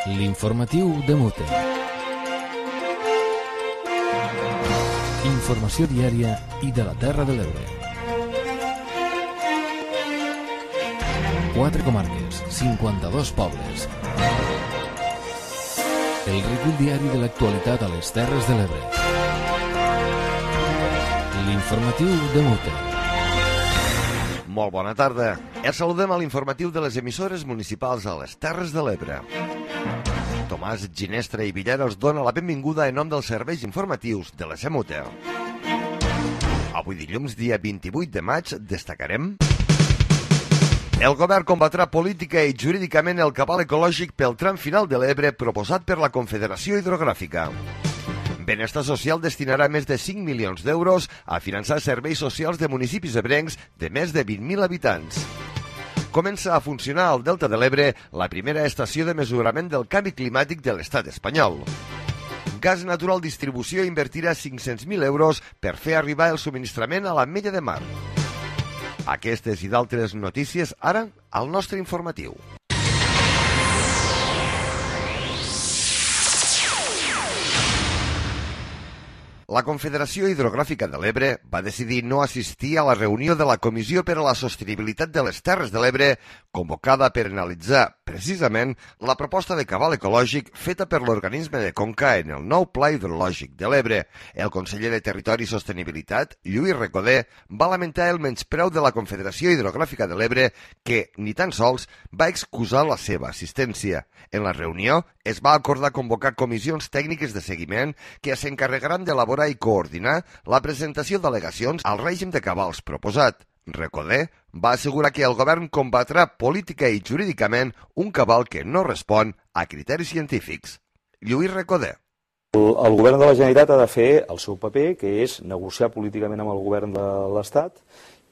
L'informatiu de Mute. Informació diària i de la Terra de l'Ebre. 4 comarques, 52 pobles. El recull diari de l'actualitat a les Terres de l'Ebre. L'informatiu de Mute. Molt bona tarda. Els saludem a l'informatiu de les emissores municipals a les Terres de l'Ebre. Tomàs Ginestra i Villera us dona la benvinguda en nom dels serveis informatius de la SEMUTE. Avui dilluns, dia 28 de maig, destacarem: el govern combatrà política i jurídicament el cabal ecològic pel tram final de l'Ebre proposat per la Confederació Hidrogràfica. Benestar Social destinarà més de 5 milions d'euros a finançar serveis socials de municipis ebrencs de més de 20.000 habitants. Comença a funcionar al Delta de l'Ebre la primera estació de mesurament del canvi climàtic de l'estat espanyol. Gas Natural Distribució invertirà 500.000 euros per fer arribar el subministrament a l'Ametlla de Mar. Aquestes i d'altres notícies ara al nostre informatiu. La Confederació Hidrogràfica de l'Ebre va decidir no assistir a la reunió de la Comissió per a la Sostenibilitat de les Terres de l'Ebre, convocada per analitzar, precisament, la proposta de cabal ecològic feta per l'organisme de Conca en el nou Pla Hidrològic de l'Ebre. El conseller de Territori i Sostenibilitat, Lluís Recoder, va lamentar el menyspreu de la Confederació Hidrogràfica de l'Ebre, que, ni tan sols, va excusar la seva assistència. En la reunió es va acordar convocar comissions tècniques de seguiment que s'encarregaran d'elaborar i coordinar la presentació d'al·legacions al règim de cabals proposat. Recoder va assegurar que el govern combatrà política i jurídicament un cabal que no respon a criteris científics. Lluís Recoder. El govern de la Generalitat ha de fer el seu paper, que és negociar políticament amb el govern de l'Estat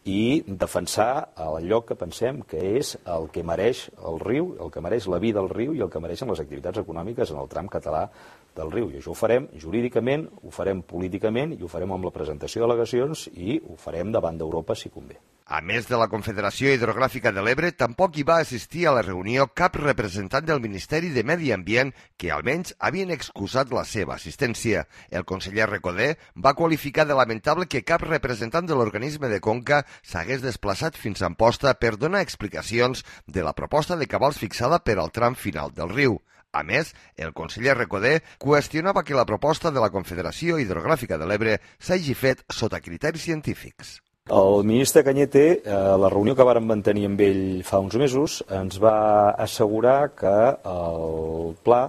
i defensar allò que pensem que és el que mereix el riu, el que mereix la vida del riu i el que mereixen les activitats econòmiques en el tram català del riu. I això ho farem jurídicament, ho farem políticament i ho farem amb la presentació d'al·legacions i ho farem davant d'Europa si convé. A més de la Confederació Hidrogràfica de l'Ebre, tampoc hi va assistir a la reunió cap representant del Ministeri de Medi Ambient que almenys havien excusat la seva assistència. El conseller Recoder va qualificar de lamentable que cap representant de l'organisme de Conca s'hagués desplaçat fins a Amposta per donar explicacions de la proposta de cabals fixada per al tram final del riu. A més, el conseller Recoder qüestionava que la proposta de la Confederació Hidrogràfica de l'Ebre s'hagi fet sota criteris científics. El ministre Cañete, a la reunió que vàrem mantenir amb ell fa uns mesos, ens va assegurar que el pla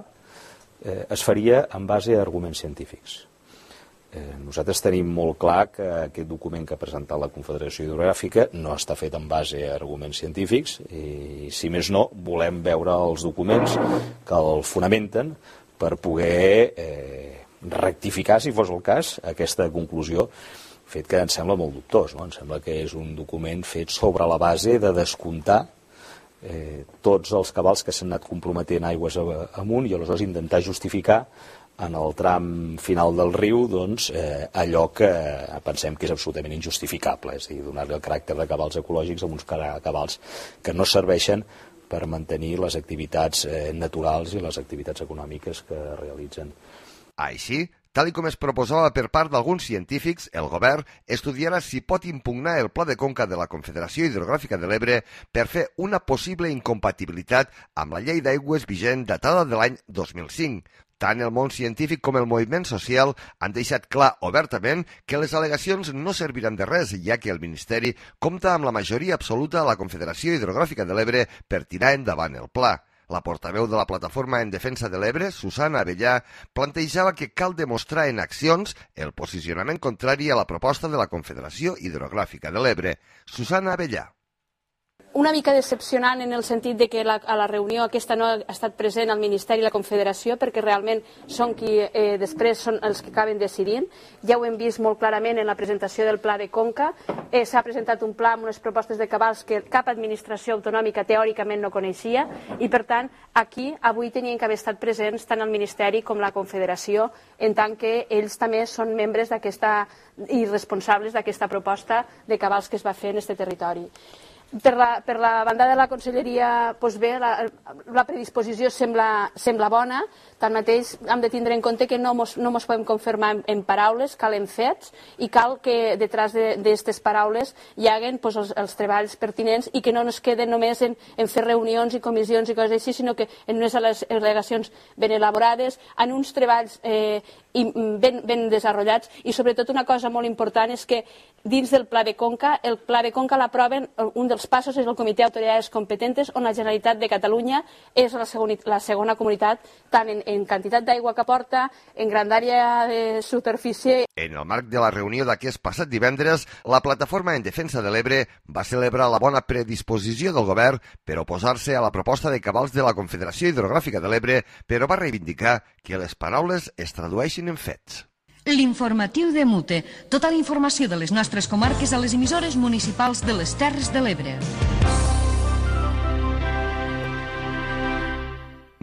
es faria en base a arguments científics. Nosaltres tenim molt clar que aquest document que ha presentat la Confederació Hidrogràfica no està fet en base a arguments científics i, si més no, volem veure els documents que el fonamenten per poder rectificar, si fos el cas, aquesta conclusió, fet que ens sembla molt dubtós, no? Ens sembla que és un document fet sobre la base de descomptar tots els cabals que s'han anat comprometent aigües amunt i aleshores intentar justificar en el tram final del riu doncs, allò que pensem que és absolutament injustificable, és a dir, donar-li el caràcter de cabals ecològics a uns cabals que no serveixen per mantenir les activitats naturals i les activitats econòmiques que realitzen. Així, tal com es proposava per part d'alguns científics, el govern estudiarà si pot impugnar el Pla de Conca de la Confederació Hidrogràfica de l'Ebre per fer una possible incompatibilitat amb la llei d'aigües vigent datada de l'any 2005. Tant el món científic com el moviment social han deixat clar obertament que les al·legacions no serviran de res, ja que el Ministeri compta amb la majoria absoluta a la Confederació Hidrogràfica de l'Ebre per tirar endavant el pla. La portaveu de la Plataforma en Defensa de l'Ebre, Susana Abellà, plantejava que cal demostrar en accions el posicionament contrari a la proposta de la Confederació Hidrogràfica de l'Ebre. Susana Abellà. Una mica decepcionant en el sentit de que a la reunió aquesta no ha estat present el Ministeri i la Confederació, perquè realment són qui després són els que acaben decidint. Ja ho hem vist molt clarament en la presentació del Pla de Conca. S'ha presentat un pla amb unes propostes de cabals que cap administració autonòmica teòricament no coneixia i, per tant, aquí avui tenien que haver estat presents tant el Ministeri com la Confederació, en tant que ells també són membres d'aquesta i responsables d'aquesta proposta de cabals que es va fer en aquest territori. Per la banda de la conselleria, doncs bé, la predisposició sembla bona, tanmateix hem de tindre en compte que no ens podem confirmar en paraules, cal en fets, i cal que detrás d'aquestes paraules hi haguen els treballs pertinents i que no ens queden només en fer reunions i comissions i coses així, sinó que en unes al·legacions ben elaborades, en uns treballs ben desenvolupats, i sobretot una cosa molt important és que dins del Pla de Conca, el Pla de Conca l'aproven, un dels passos és el Comitè d'Autoritats Competentes, on la Generalitat de Catalunya és la segona comunitat, tant en quantitat d'aigua que aporta, en grandària de superfície. En el marc de la reunió d'aquest passat divendres, la Plataforma en Defensa de l'Ebre va celebrar la bona predisposició del govern per oposar-se a la proposta de cabals de la Confederació Hidrogràfica de l'Ebre, però va reivindicar que les paraules es tradueixin en fets. L'informatiu de Mute. Tota la informació de les nostres comarques a les emissores municipals de les Terres de l'Ebre.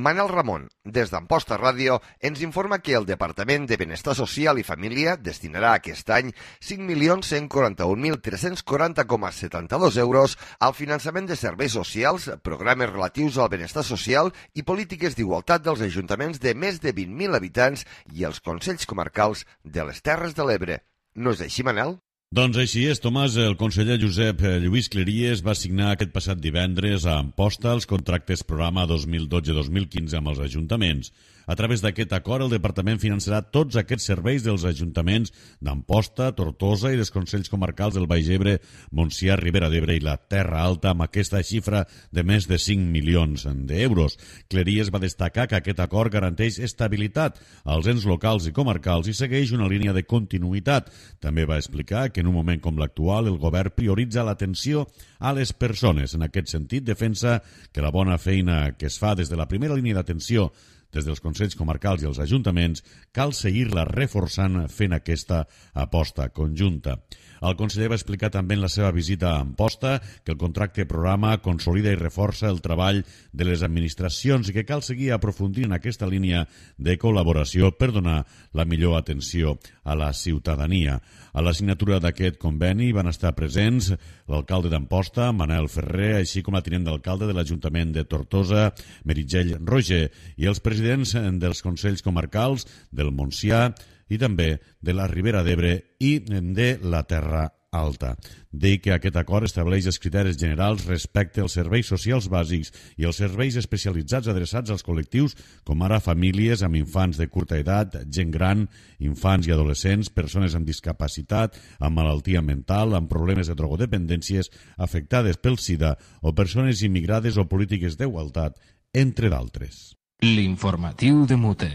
Manel Ramon, des d'Amposta Ràdio, ens informa que el Departament de Benestar Social i Família destinarà aquest any 5.141.340,72 euros al finançament de serveis socials, programes relatius al benestar social i polítiques d'igualtat dels ajuntaments de més de 20.000 habitants i els consells comarcals de les Terres de l'Ebre. No és així, Manel? Doncs així és, Tomàs. El conseller Josep Lluís Cleries va signar aquest passat divendres a Amposta els contractes programa 2012-2015 amb els ajuntaments. A través d'aquest acord, el Departament finançarà tots aquests serveis dels ajuntaments d'Amposta, Tortosa i dels consells comarcals del Baix Ebre, Montsià, Ribera d'Ebre i la Terra Alta, amb aquesta xifra de més de 5 milions d'euros. Cleries va destacar que aquest acord garanteix estabilitat als ens locals i comarcals i segueix una línia de continuïtat. També va explicar que en un moment com l'actual el govern prioritza l'atenció a les persones. En aquest sentit, defensa que la bona feina que es fa des de la primera línia d'atenció des dels consells comarcals i els ajuntaments, cal seguir-la reforçant fent aquesta aposta conjunta. El conseller va explicar també en la seva visita a Amposta que el contracte programa consolida i reforça el treball de les administracions i que cal seguir aprofundint en aquesta línia de col·laboració per donar la millor atenció a la ciutadania. A la signatura d'aquest conveni van estar presents l'alcalde d'Amposta, Manel Ferrer, així com la tinent d'alcalde de l'Ajuntament de Tortosa, Meritxell Roger, i els presidents dels consells comarcals del Montsià i també de la Ribera d'Ebre i de la Terra Alta. Deia que aquest acord estableix els criteris generals respecte als serveis socials bàsics i els serveis especialitzats adreçats als col·lectius com ara famílies amb infants de curta edat, gent gran, infants i adolescents, persones amb discapacitat, amb malaltia mental, amb problemes de drogodependències, afectades pel SIDA o persones immigrades o polítiques d'igualtat, entre d'altres. L'informatiu de Mute.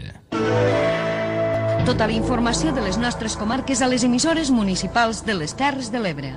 Tota la informació de les nostres comarques a les emissores municipals de les Terres de l'Ebre.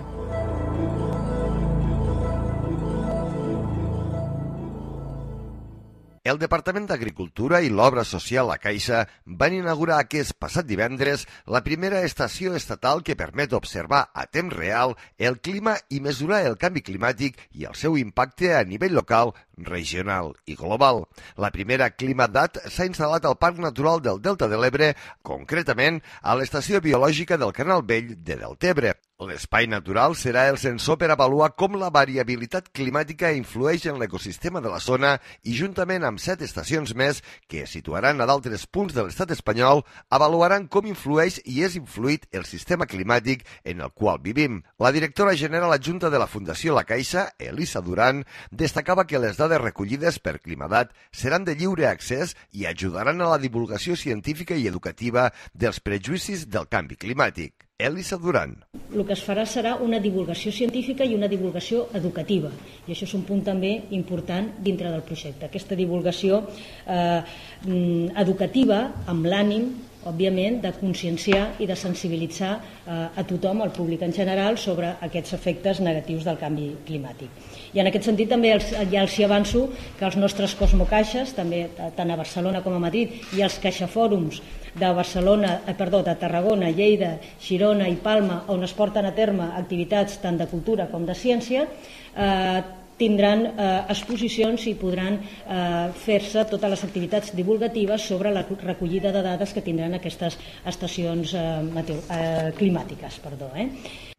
El Departament d'Agricultura i l'Obra Social La Caixa van inaugurar aquest passat divendres la primera estació estatal que permet observar a temps real el clima i mesurar el canvi climàtic i el seu impacte a nivell local, regional i global. La primera ClimaDat s'ha instal·lat al Parc Natural del Delta de l'Ebre, concretament a l'Estació Biològica del Canal Vell de Deltebre. L'espai natural serà el sensor per avaluar com la variabilitat climàtica influeix en l'ecosistema de la zona i, juntament amb 7 estacions més que es situaran a d'altres punts de l'estat espanyol, avaluaran com influeix i és influït el sistema climàtic en el qual vivim. La directora general adjunta de la Fundació La Caixa, Elisa Duran, destacava que les dades recollides per ClimaDat seran de lliure accés i ajudaran a la divulgació científica i educativa dels prejudicis del canvi climàtic. Elisa Duran. El que es farà serà una divulgació científica i una divulgació educativa, i això és un punt també important dintre del projecte. Aquesta divulgació educativa amb l'ànim, òbviament, de conscienciar i de sensibilitzar a tothom, al públic en general, sobre aquests efectes negatius del canvi climàtic. I en aquest sentit també ja els avanço que els nostres cosmocaixes, també tant a Barcelona com a Madrid, i els caixafòrums de Tarragona, Lleida, Girona i Palma, on es porten a terme activitats tant de cultura com de ciència, tindran exposicions i podran fer-se totes les activitats divulgatives sobre la recollida de dades que tindran aquestes estacions climàtiques.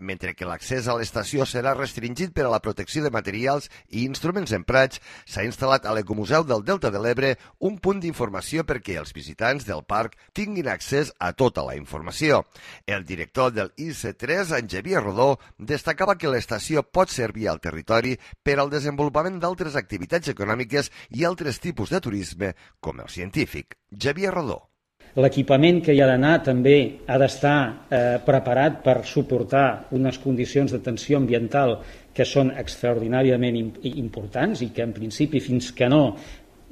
Mentre que l'accés a l'estació serà restringit per a la protecció de materials i instruments emprats, s'ha instal·lat a l'Ecomuseu del Delta de l'Ebre un punt d'informació perquè els visitants del parc tinguin accés a tota la informació. El director del IC3, en Xavier Rodó, destacava que l'estació pot servir al territori per al desenvolupament d'altres activitats econòmiques i altres tipus de turisme, com el científic. Xavier Rodó. L'equipament que hi ha d'anar també ha d'estar preparat per suportar unes condicions de tensió ambiental que són extraordinàriament importants i que en principi fins que no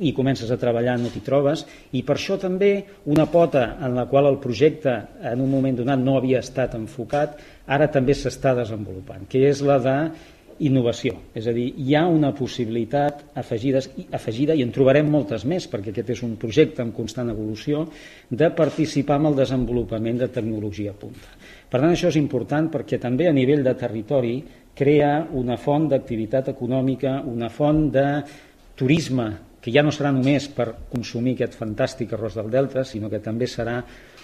hi comences a treballar no t'hi trobes, i per això també una pota en la qual el projecte en un moment donat no havia estat enfocat, ara també s'està desenvolupant, que és la d'innovació. És a dir, hi ha una possibilitat afegida, i en trobarem moltes més, perquè aquest és un projecte en constant evolució, de participar en el desenvolupament de tecnologia punta. Per tant, això és important perquè també a nivell de territori crea una font d'activitat econòmica, una font de turisme, que ja no serà només per consumir aquest fantàstic arròs del Delta, sinó que també serà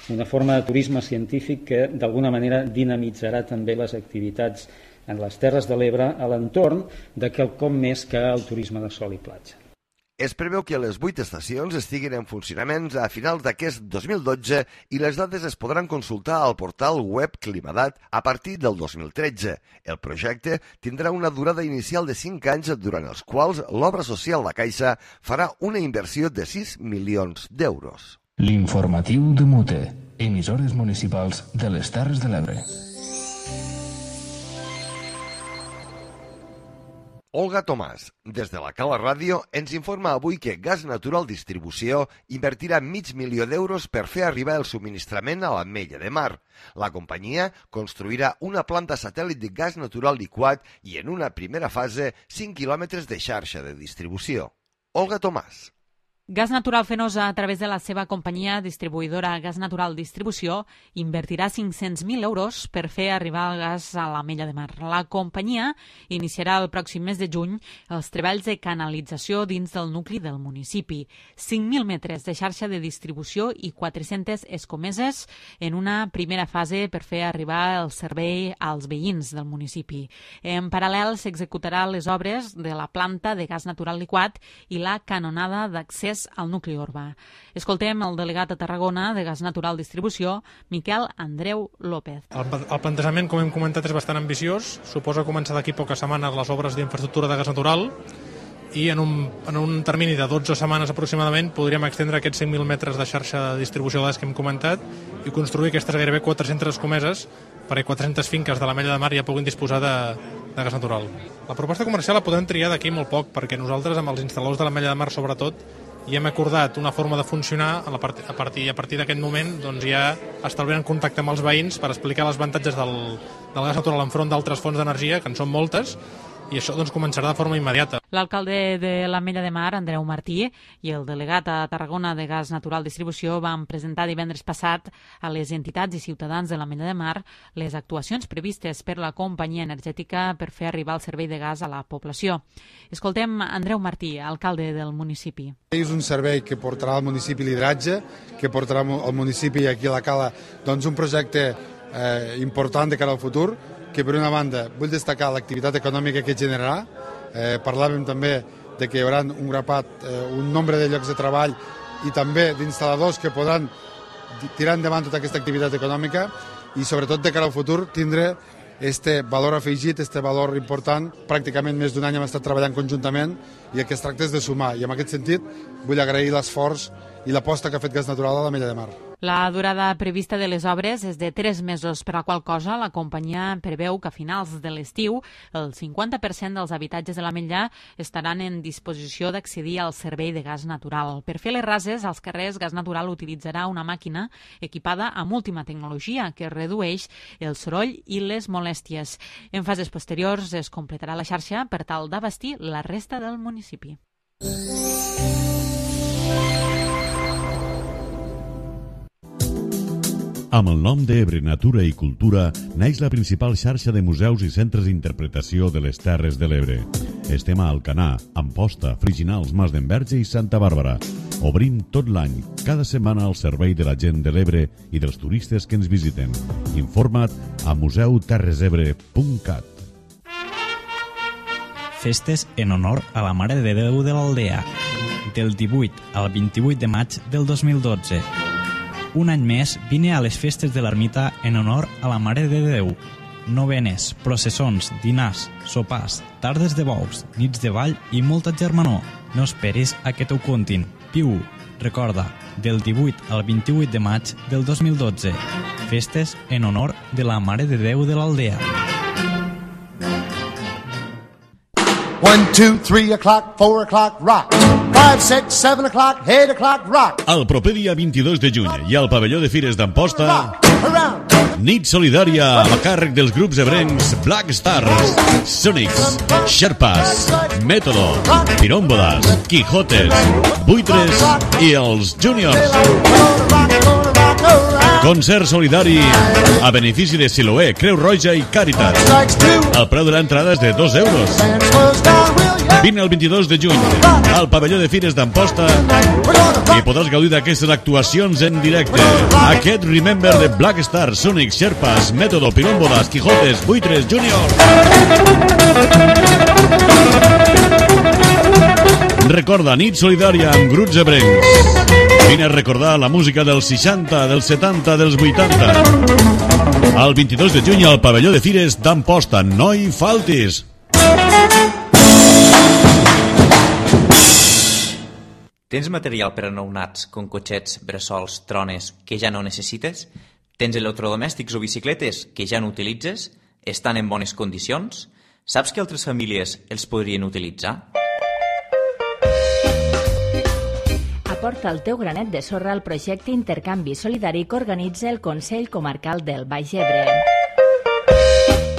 una forma de turisme científic que d'alguna manera dinamitzarà també les activitats en les Terres de l'Ebre a l'entorn de quelcom més que el turisme de sol i platja. Es preveu que les 8 estacions estiguin en funcionament a finals d'aquest 2012 i les dades es podran consultar al portal web Climadat a partir del 2013. El projecte tindrà una durada inicial de 5 anys durant els quals l'obra social La Caixa farà una inversió de 6 milions d'euros. L'informatiu de Mute, emissores municipals de les Terres de l'Ebre. Olga Tomàs, des de la Cala Ràdio, ens informa avui que Gas Natural Distribució invertirà $500.000 d'euros per fer arribar el subministrament a l'Ametlla de Mar. La companyia construirà una planta satèl·lit de gas natural liquat i en una primera fase 5 quilòmetres de xarxa de distribució. Olga Tomàs. Gas Natural Fenosa, a través de la seva companyia distribuïdora Gas Natural Distribució, invertirà 500.000 euros per fer arribar el gas a l'Ametlla de Mar. La companyia iniciarà el pròxim mes de juny els treballs de canalització dins del nucli del municipi. 5.000 metres de xarxa de distribució i 400 escomeses en una primera fase per fer arribar el servei als veïns del municipi. En paral·lel s'executarà les obres de la planta de gas natural liquat i la canonada d'accés al nucli urbà. Escoltem el delegat a Tarragona de Gas Natural Distribució, Miquel Andreu López. El plantejament, com hem comentat, és bastant ambiciós. Suposa començar d'aquí poques setmanes les obres d'infraestructura de gas natural i en un termini de 12 setmanes aproximadament podríem extendre aquests 5.000 metres de xarxa de distribució de gas que hem comentat i construir aquestes gairebé 400 escomeses perquè 400 finques de l'Ametlla de Mar ja puguin disposar de gas natural. La proposta comercial la podem triar d'aquí molt poc perquè nosaltres, amb els instal·ladors de l'Ametlla de Mar sobretot, i hem acordat una forma de funcionar a partir d'aquest moment doncs ja establint en contacte amb els veïns per explicar els avantatges del gas natural enfront d'altres fonts d'energia, que en són moltes, i això doncs començarà de forma immediata. L'alcalde de l'Ametlla de Mar, Andreu Martí, i el delegat a Tarragona de Gas Natural Distribució van presentar divendres passat a les entitats i ciutadans de l'Ametlla de Mar les actuacions previstes per la companyia energètica per fer arribar el servei de gas a la població. Escoltem Andreu Martí, alcalde del municipi. És un servei que portarà al municipi lideratge, que portarà al municipi aquí a la Cala doncs un projecte important de cara al futur, que per una banda vull destacar l'activitat econòmica que generarà. Parlàvem també de que hi haurà un grapat, un nombre de llocs de treball i també d'instal·ladors que podran tirar endavant tota aquesta activitat econòmica i sobretot de cara al futur tindre este valor afegit, este valor important. Pràcticament més d'un any hem estat treballant conjuntament i el que es tracta és de sumar, i en aquest sentit vull agrair l'esforç i l'aposta que ha fet Gas Natural a l'Ametlla de Mar. La durada prevista de les obres és de 3 mesos, per a qual cosa la companyia preveu que a finals de l'estiu el 50% dels habitatges de l'Ametlla estaran en disposició d'accedir al servei de gas natural. Per fer les rases, als carrers Gas Natural utilitzarà una màquina equipada amb última tecnologia que redueix el soroll i les molèsties. En fases posteriors es completarà la xarxa per tal d'abastir la resta del municipi. Amb el nom d'Ebre Natura i Cultura naix la principal xarxa de museus i centres d'interpretació de les Terres de l'Ebre. Estem a Alcanar, Amposta, Friginals, Mas d'Enverge i Santa Bàrbara. Obrim tot l'any, cada setmana al servei de la gent de l'Ebre i dels turistes que ens visiten. Informa't a museuterresebre.cat. Festes en honor a la Mare de Déu de l'Aldea, del 18 al 28 de maig del 2012. Un any més vine a les festes de l'ermita en honor a la Mare de Déu. Novenes, processons, dinars, sopars, tardes de bous, nits de ball i molta germanor. No esperis a que t'ho contin. Viu, recorda, del 18 al 28 de maig del 2012. Festes en honor de la Mare de Déu de l'Aldea. 1, 2, 3 o'clock, 4 o'clock, rock. 5, 6, 7 o'clock, 8 o'clock, rock. El proper dia 22 de juny i al pavelló de Fires d'Amposta, nit solidària a càrrec dels grups ebrencs Black Stars, Sonics, Sherpas, Método, Pirómbodas, Quijotes, Buitres i els Juniors. Concert solidari a benefici de Siloé, Creu Roja i Càritas. El preu de l'entrada és de 2 euros. Vine el 22 de juny al pavelló de Fires d'Amposta i podràs gaudir d'aquestes actuacions en directe. Aquest Remember de Black Stars, Sonic, Sherpas, Método, Pirómbodas, Quijotes, Buitres, Junior. Recorda, nit solidària amb grups ebrencs. Vine a recordar la música dels 60, dels 70, dels 80. El 22 de juny al pavelló de Fires d'Amposta. No hi faltis! Tens material per a nounats, com cotxets, bressols, trones, que ja no necessites? Tens electrodomèstics o bicicletes que ja no utilitzes? Estan en bones condicions? Saps que altres famílies els podrien utilitzar? Aporta el teu granet de sorra al projecte Intercanvi Solidari que organitza el Consell Comarcal del Baix Ebre.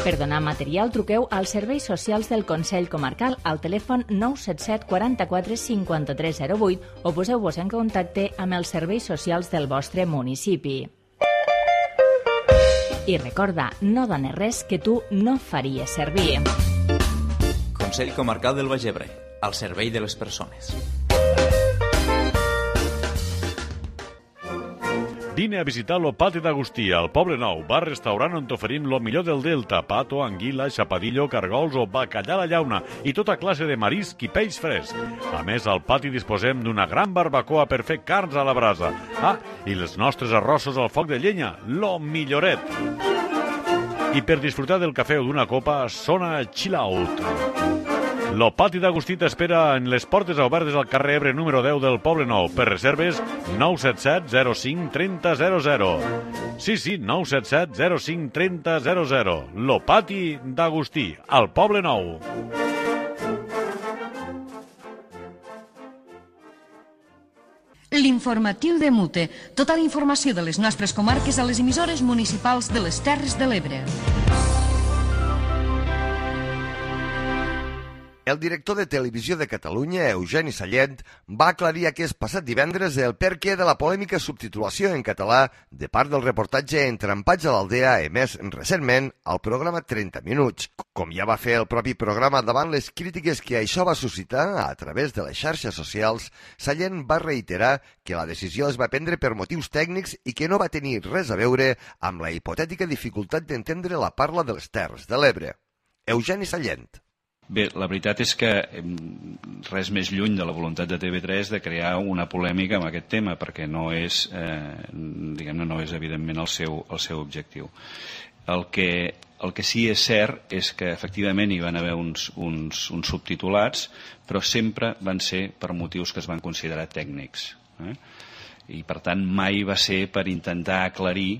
Per donar material, truqueu als serveis socials del Consell Comarcal al telèfon 977 44 53 08 o poseu-vos en contacte amb els serveis socials del vostre municipi. I recorda, no dones res que tu no faries servir. Consell Comarcal del Baix Ebre, al servei de les persones. Vine a visitar lo Pati d'Agustí, al Poble Nou, bar-restaurant on t'oferim lo millor del Delta, pato, anguila, xapadillo, cargols o bacallà a la llauna i tota classe de marisc i peix fresc. A més, al pati disposem d'una gran barbacoa per fer carns a la brasa. I els nostres arrossos al foc de llenya, lo milloret. I per disfrutar del cafè o d'una copa, sona Chill Out. Lo Pati d'Agustí t'espera en les portes obertes al carrer Ebre número 10 del Poble Nou. Per reserves 977 05 30 00. Sí, 977 05 30 00. Lo Pati d'Agustí, al Poble Nou. L'informatiu de Mute. Tota la informació de les nostres comarques a les emissores municipals de les Terres de l'Ebre. El director de Televisió de Catalunya, Eugeni Sallent, va aclarir aquest passat divendres el perquè de la polèmica subtitulació en català de part del reportatge Entrampats a l'Aldea emès recentment al programa 30 Minuts. Com ja va fer el propi programa davant les crítiques que això va suscitar a través de les xarxes socials, Sallent va reiterar que la decisió es va prendre per motius tècnics i que no va tenir res a veure amb la hipotètica dificultat d'entendre la parla de les Terres de l'Ebre. Eugeni Sallent. Bé, la veritat és que res més lluny de la voluntat de TV3 de crear una polèmica amb aquest tema, perquè no és, diguem-ne, no és evidentment el seu objectiu. El que sí és cert és que efectivament hi van haver uns subtitulats, però sempre van ser per motius que es van considerar tècnics. I per tant mai va ser per intentar aclarir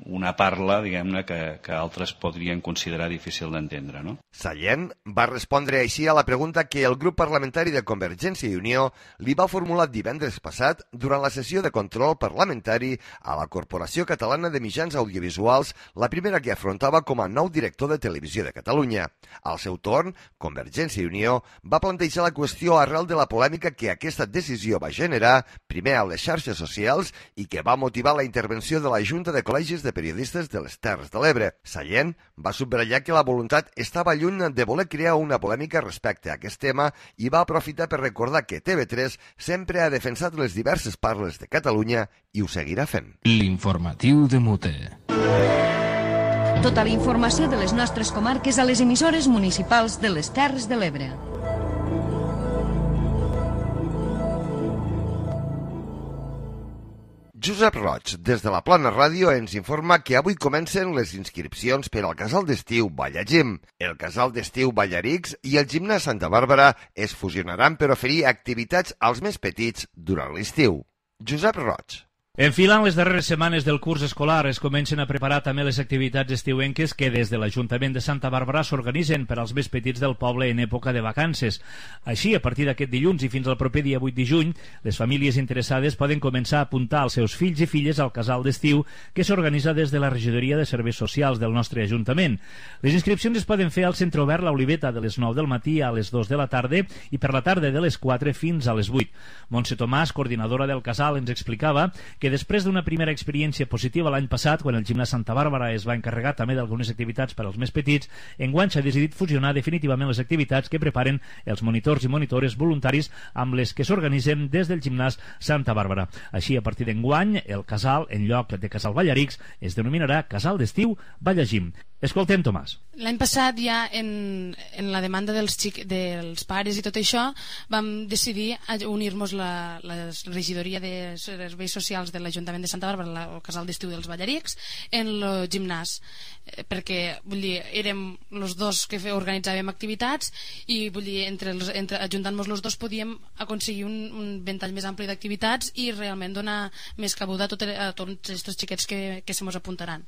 una parla, diguem-ne, que altres podrien considerar difícil d'entendre, no? Sallent va respondre així a la pregunta que el grup parlamentari de Convergència i Unió li va formular divendres passat durant la sessió de control parlamentari a la Corporació Catalana de Mitjans Audiovisuals, la primera que afrontava com a nou director de Televisió de Catalunya. Al seu torn, Convergència i Unió va plantejar la qüestió arrel de la polèmica que aquesta decisió va generar, primer a les xarxes socials i que va motivar la intervenció de la Junta de Col·legis de Periodistes de les Terres de l'Ebre. Sallent va subratllar que la voluntat estava lluny de voler crear una polèmica respecte a aquest tema i va aprofitar per recordar que TV3 sempre ha defensat les diverses parles de Catalunya i ho seguirà fent. L'informatiu de Mute. Tota la informació de les nostres comarques a les emissores municipals de les Terres de l'Ebre. Josep Roig, des de la Plana Ràdio, ens informa que avui comencen les inscripcions per al casal d'estiu Ballagim. El casal d'estiu Ballarix i el gimnàs Santa Bàrbara es fusionaran per oferir activitats als més petits durant l'estiu. Josep Roig. Enfilant les darreres setmanes del curs escolar es comencen a preparar també les activitats estiuenques que des de l'Ajuntament de Santa Bàrbara s'organitzen per als més petits del poble en època de vacances. Així, a partir d'aquest dilluns i fins al proper dia 8 de juny, les famílies interessades poden començar a apuntar els seus fills i filles al casal d'estiu que s'organitza des de la Regidoria de Serveis Socials del nostre Ajuntament. Les inscripcions es poden fer al Centre Obert La Oliveta de les 9 del matí a les 2 de la tarda i per la tarda de les 4 fins a les 8. Montse Tomàs, coordinadora del casal, ens explicava que després d'una primera experiència positiva l'any passat, quan el gimnàs Santa Bàrbara es va encarregar també d'algunes activitats per als més petits, enguany s'ha decidit fusionar definitivament les activitats que preparen els monitors i monitores voluntaris amb les que s'organitzen des del gimnàs Santa Bàrbara. Així, a partir d'enguany, el casal, en lloc de Casal Ballarix, es denominarà Casal d'Estiu Ballagim. Escoltem, Tomàs. L'any passat ja en la demanda dels pares i tot això vam decidir unir-nos la regidoria de serveis socials de l'Ajuntament de Santa Bàrbara, el casal d'estiu dels Ballarics, en el gimnàs, perquè vull dir, érem els dos que organitzàvem activitats i vull dir, ajuntant-nos els dos podíem aconseguir un ventall més ampli d'activitats i realment donar més cabuda a tots aquests xiquets que se mos apuntaran.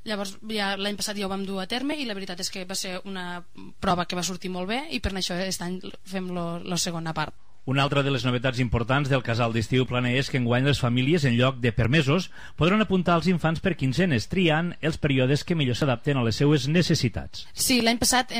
Llavors, ja l'any passat ja ho vam dur a terme i la veritat és que va ser una prova que va sortir molt bé i per això aquest any fem la segona part. Una altra de les novetats importants del casal d'estiu Planer és que enguany les famílies, en lloc de permesos, podran apuntar els infants per quinzenes, triant els períodes que millor s'adapten a les seues necessitats. Sí, l'any passat,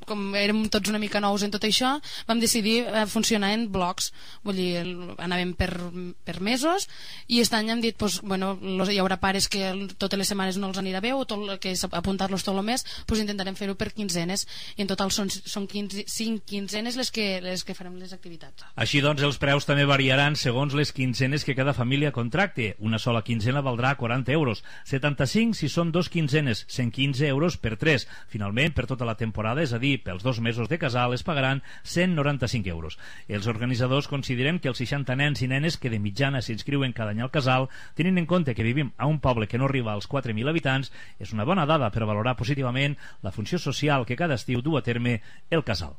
com érem tots una mica nous en tot això, vam decidir funcionar en blocs. Vull dir, anàvem per mesos i aquest any hem dit, hi haurà pares que totes les setmanes no els anirà bé o que apuntar-los tot el mes, intentarem fer-ho per quinzenes i en total són 5 quinzenes les que farem les activitats. Així doncs, els preus també variaran segons les quinzenes que cada família contracte. Una sola quinzena valdrà 40 euros, 75 si són 2 quinzenes, 115 euros per 3. Finalment, per tota la temporada, és a dir, pels 2 mesos de casal, es pagaran 195 euros. Els organitzadors consideren que els 60 nens i nenes que de mitjana s'inscriuen cada any al casal, tenint en compte que vivim a un poble que no arriba als 4.000 habitants, és una bona dada per valorar positivament la funció social que cada estiu du a terme el casal.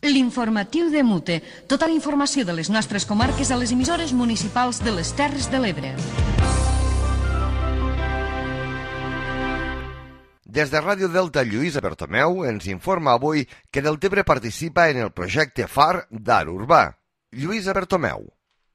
L'informatiu de Mute. Tota la informació de les nostres comarques a les emissores municipals de les Terres de l'Ebre. Des de Ràdio Delta, Lluïsa Bertomeu ens informa avui que Deltebre participa en el projecte FAR d'Art Urbà. Lluïsa Bertomeu.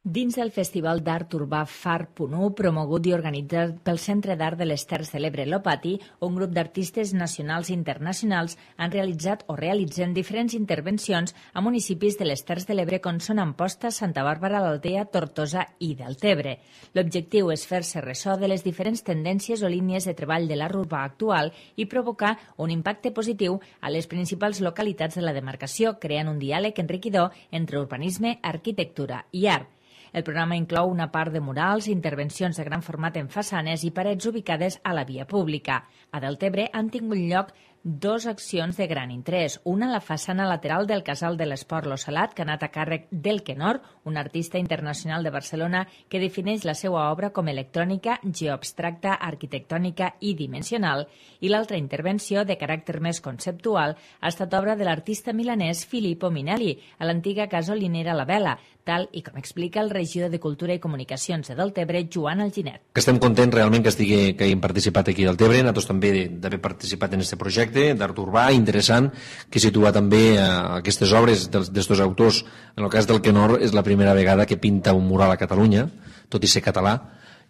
Dins del Festival d'Art Urbà FAR.1, promogut i organitzat pel Centre d'Art de les Terres de l'Ebre Lopati, un grup d'artistes nacionals i internacionals han realitzat o realitzen diferents intervencions a municipis de les Terres de l'Ebre com són Amposta, Santa Bàrbara, l'Aldea, Tortosa i Deltebre. L'objectiu és fer-se ressò de les diferents tendències o línies de treball de l'art urbà actual i provocar un impacte positiu a les principals localitats de la demarcació, creant un diàleg enriquidor entre urbanisme, arquitectura i art. El programa inclou una part de murals, intervencions de gran format en façanes i parets ubicades a la via pública. A Deltebre han tingut lloc 2 accions de gran interès. Una a la façana lateral del Casal de l'Esport Lo Salat, que ha anat a càrrec del Kenor, un artista internacional de Barcelona que defineix la seva obra com electrònica, geoabstracta, arquitectònica i dimensional, i l'altra intervenció, de caràcter més conceptual, ha estat obra de l'artista milanès Filippo Minelli, a l'antiga gasolinera La Vela, tal i com explica el regidor de Cultura i Comunicacions de Deltebre, Joan Alginet. Estem contents realment que hagin participat aquí a Deltebre, nosaltres també d'haver participat en aquest projecte d'art urbà interessant, que situa també aquestes obres d'estos autors. En el cas del Kenor és la primera vegada que pinta un mural a Catalunya, tot i ser català,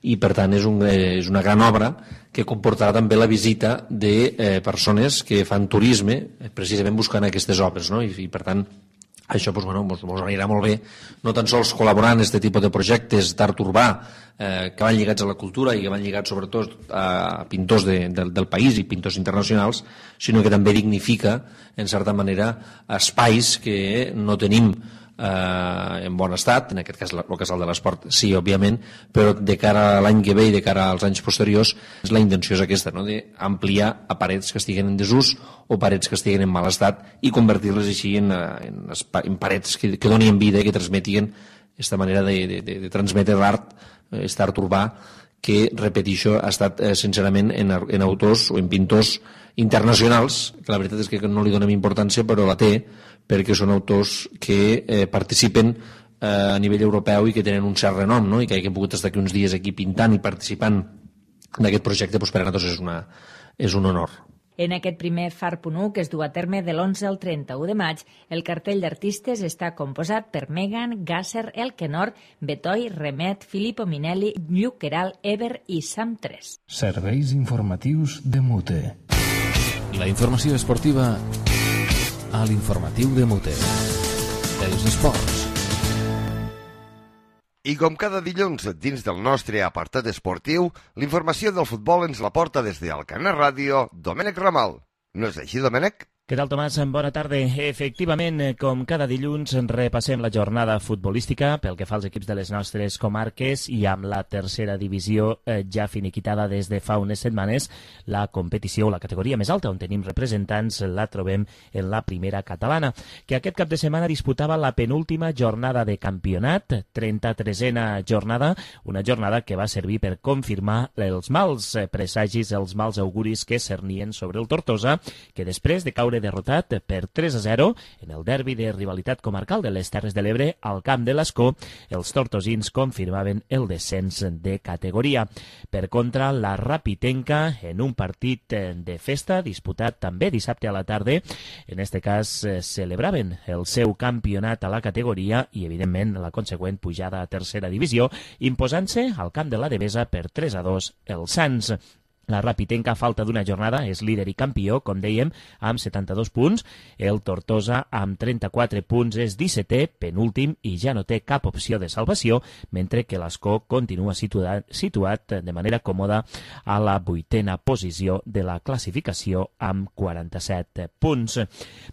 i per tant és una gran obra que comportarà també la visita de persones que fan turisme precisament buscant aquestes obres, no? I per tant Això ens anirà molt bé, no tan sols col·laborar en aquest tipus de projectes d'art urbà que van lligats a la cultura i que van lligats sobretot a pintors del país i pintors internacionals, sinó que també dignifica, en certa manera, espais que no tenim en bon estat, en aquest cas el Casal de l'Esport sí, òbviament, però de cara a l'any que ve i de cara als anys posteriors la intenció és aquesta, no? D'ampliar a parets que estiguen en desús o parets que estiguen en mal estat i convertir-les així en parets que donin vida i que transmetin aquesta manera de transmetre l'art, aquest art urbà que, repeteixo, ha estat sincerament en autors o en pintors internacionals, que la veritat és que no li donem importància, però la té, perquè són autors que participen a nivell europeu i que tenen un cert renom, no? I que hagin pogut estar aquí uns dies aquí pintant i participant en aquest projecte, doncs per a nosaltres és un honor. En aquest primer Far.1, que es du a terme de l'11 al 31 de maig, el cartell d'artistes està composat per Megan, Gasser, Elkenor, Betoy, Remet, Filippo Minelli, Lluc Queralt, Eber i Sam 3. Serveis informatius de Mute. La informació esportiva a l'informatiu de Mute. Els esports. I com cada dilluns, dins del nostre apartat esportiu, l'informació del futbol ens la porta des d'Alcanar Ràdio, Domènec Ramal. No és així, Domènec? Què tal, Tomàs? Bona tarda. Efectivament, com cada dilluns, repassem la jornada futbolística pel que fa als equips de les nostres comarques i amb la tercera divisió ja finiquitada des de fa unes setmanes, la competició, la categoria més alta on tenim representants, la trobem en la primera catalana, que aquest cap de setmana disputava la penúltima jornada de campionat, 33a jornada, una jornada que va servir per confirmar els mals presagis, els mals auguris que cernien sobre el Tortosa, que després de caure derrotat per 3-0 en el derbi de rivalitat comarcal de les Terres de l'Ebre al camp de l'Escó, els tortosins confirmaven el descens de categoria. Per contra, la Rapitenca, en un partit de festa disputat també dissabte a la tarda, en este cas celebraven el seu campionat a la categoria i, evidentment, la consegüent pujada a tercera divisió, imposant-se al camp de la Devesa per 3-2 el Sants. La Rapitenca, a falta d'una jornada, és líder i campió, com dèiem, amb 72 punts. El Tortosa, amb 34 punts, és 17è, penúltim, i ja no té cap opció de salvació, mentre que l'Escó continua situat de manera còmoda a la 8a posició de la classificació amb 47 punts.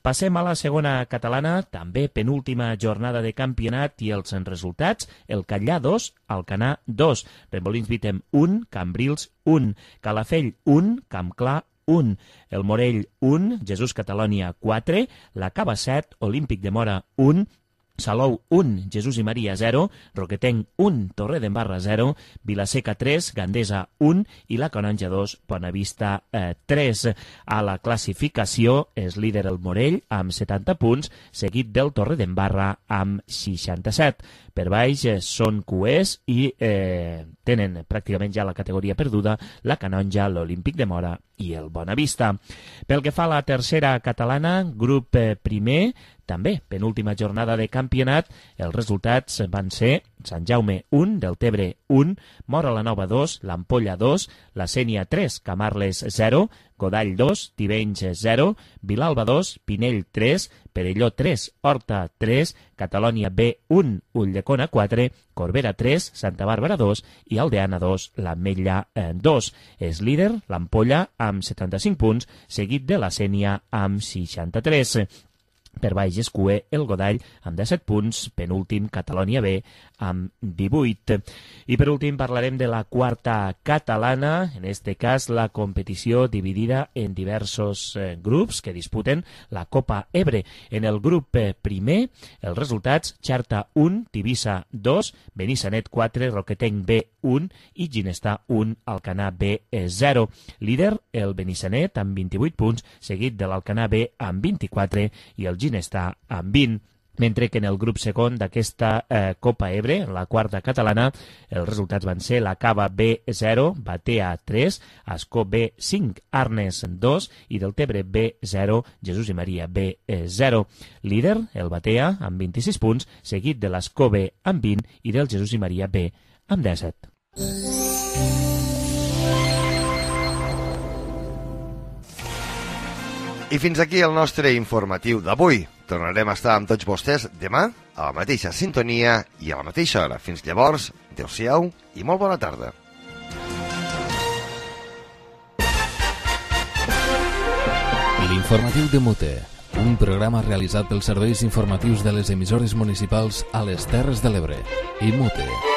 Passem a la segona catalana, també penúltima jornada de campionat i els resultats. El Catllà 2, Alcanar 2, Remolins Vitem 1, Cambrils 1, Calafell 1, Campclar 1, el Morell 1, Jesús Catalònia 4, la Cava 7, Olímpic de Mora 1, Salou 1, Jesús i Maria 0, Roquetenc 1, Torredembarra 0, Vilaseca 3, Gandesa 1 i la Canonja 2, Bonavista 3. A la classificació és líder el Morell amb 70 punts, seguit del Torredembarra amb 67. Per baix són cuers i tenen pràcticament ja la categoria perduda la Canonja, l'Olímpic de Mora i el Bonavista. Pel que fa a la tercera catalana, grup primer, també penúltima jornada de campionat, els resultats van ser Sant Jaume 1, Deltebre 1, Móra la Nova 2, l'Ampolla 2, la Sénia 3, Camarles 0, Godall 2, Tivenys 0, Vilalba 2, Pinell 3, Perelló 3, Horta 3, Catalònia B 1, Ulldecona 4, Corbera 3, Santa Bàrbara 2 i Aldeana 2, l'Ametlla 2. És líder l'Ampolla amb 75 punts, seguit de la Sénia amb 63. Per baix és cuer el Godall amb 17 punts, penúltim Catalònia B amb 18. I per últim parlarem de la quarta catalana, en este cas la competició dividida en diversos grups que disputen la Copa Ebre. En el grup primer, els resultats: Xarta 1, Tivissa 2, Benissanet 4, Roquetenc B 1 i Ginestar 1, Alcanar B 0. Líder el Benissanet amb 28 punts, seguit de l'Alcanar B amb 24 i el Ginestar amb 20. Mentre que en el grup segon d'aquesta Copa Ebre, en la quarta catalana, els resultats van ser la Cava B 0, Batea 3, Ascó B 5, Arnes 2 i Deltebre B 0, Jesús i Maria B 0. Líder, el Batea, amb 26 punts, seguit de l'Ascó B amb 20 i del Jesús i Maria B amb 17. I fins aquí el nostre informatiu d'avui. Tornarem a estar amb tots vostès demà a la mateixa sintonia i a la mateixa hora. Fins llavors, adeu-siau i molt bona tarda. L'informatiu de Mute, un programa realitzat pels serveis informatius de les emissores municipals a les Terres de l'Ebre i Mute.